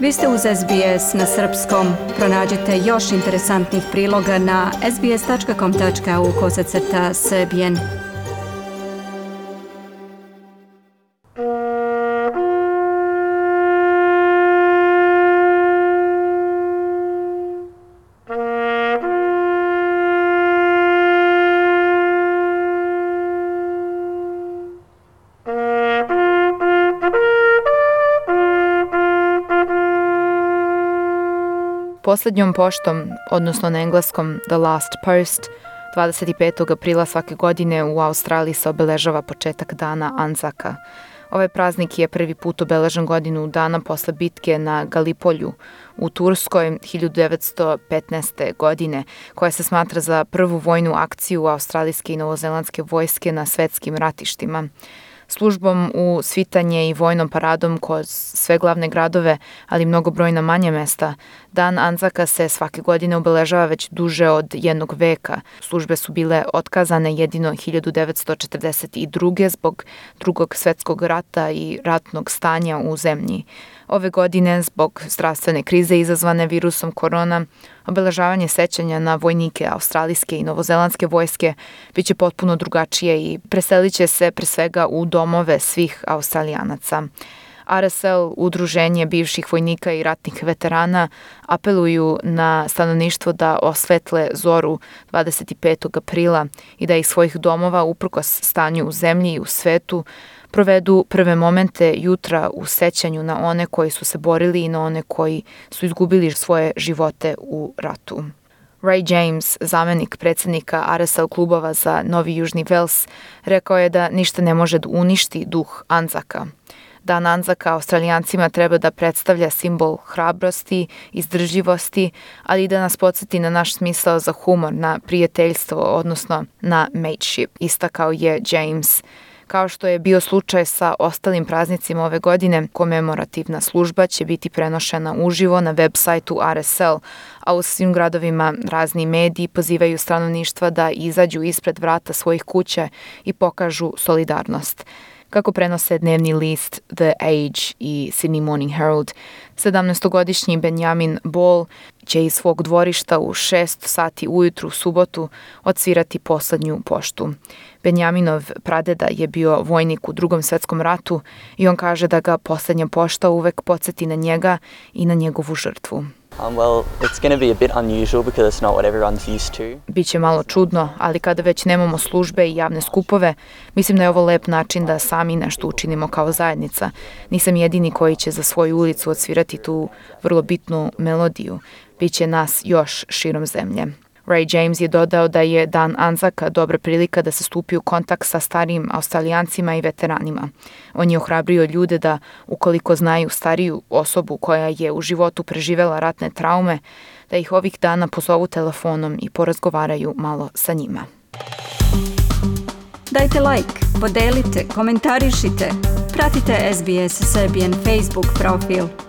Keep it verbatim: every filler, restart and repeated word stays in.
Vi ste uz S B S na srpskom. Pronađite još interesantnih priloga na sbs.com.au kosacrta srbijen. Posljednjom poštom, odnosno na engleskom The Last Post, dvadeset petog aprila svake godine u Australiji se obeležava početak dana Anzaka. Ovaj praznik je prvi put obeležen godinu dana posle bitke na Galipolju u Turskoj hiljadu devetsto petnaeste. godine, koja se smatra za prvu vojnu akciju australijske i novozelandske vojske na svetskim ratištima. Službom u svitanje i vojnom paradom kroz sve glavne gradove, ali i mnogobrojna manja mesta, dan Anzaka se svake godine obeležava već duže od jednog veka. Službe su bile otkazane jedino hiljadu devetsto četrdeset druge. zbog drugog svetskog rata i ratnog stanja u zemlji. Ove godine, zbog zdravstvene krize izazvane virusom korona, obeležavanje sećanja na vojnike australijske i novozelandske vojske biće potpuno drugačije i preselit će se pre svega u domove svih Australijanaca. R S L, udruženje bivših vojnika i ratnih veterana, apeluju na stanovništvo da osvetle zoru dvadeset petog aprila i da iz svojih domova, uprkos stanju u zemlji i u svetu, provedu prve momente jutra u sećanju na one koji su se borili i na one koji su izgubili svoje živote u ratu. Ray James, zamenik predsjednika R S L klubova za Novi Južni Vels, rekao je da ništa ne može da uništi duh Anzaka. Dan Anzaka Australijancima treba da predstavlja simbol hrabrosti, izdržljivosti, ali i da nas podsjeti na naš smisao za humor, na prijateljstvo, odnosno na mateship, istakao je James. Kao što je bio slučaj sa ostalim praznicima ove godine, komemorativna služba će biti prenošena uživo na web sajtu R S L, a u svim gradovima razni mediji pozivaju stanovništva da izađu ispred vrata svojih kuća i pokažu solidarnost. Kako prenose dnevni list The Age i Sydney Morning Herald, sedamnaestogodišnji Benjamin Ball će iz svog dvorišta u šest sati ujutru u subotu odsvirati poslednju poštu. Benjaminov pradeda je bio vojnik u Drugom svetskom ratu i on kaže da ga poslednja pošta uvek podsjeti na njega i na njegovu žrtvu. Um, well, it's going to be a bit unusual because it's not what everyone's used to. Biće malo čudno, ali kada već nemamo službe i javne skupove, mislim da je ovo lep način da sami nešto učinimo kao zajednica. Nisam jedini koji će za svoju ulicu odsvirati tu vrlo bitnu melodiju. Biće nas još širom zemlje. Ray James je dodao da je dan Anzaka dobra prilika da se stupi u kontakt sa starijim Australijancima i veteranima. On je ohrabrio ljude da, ukoliko znaju stariju osobu koja je u životu preživela ratne traume, da ih ovih dana pozovu telefonom i porazgovaraju malo sa njima. Dajte like, podelite, komentarišite, pratite S B S Serbian Facebook profil.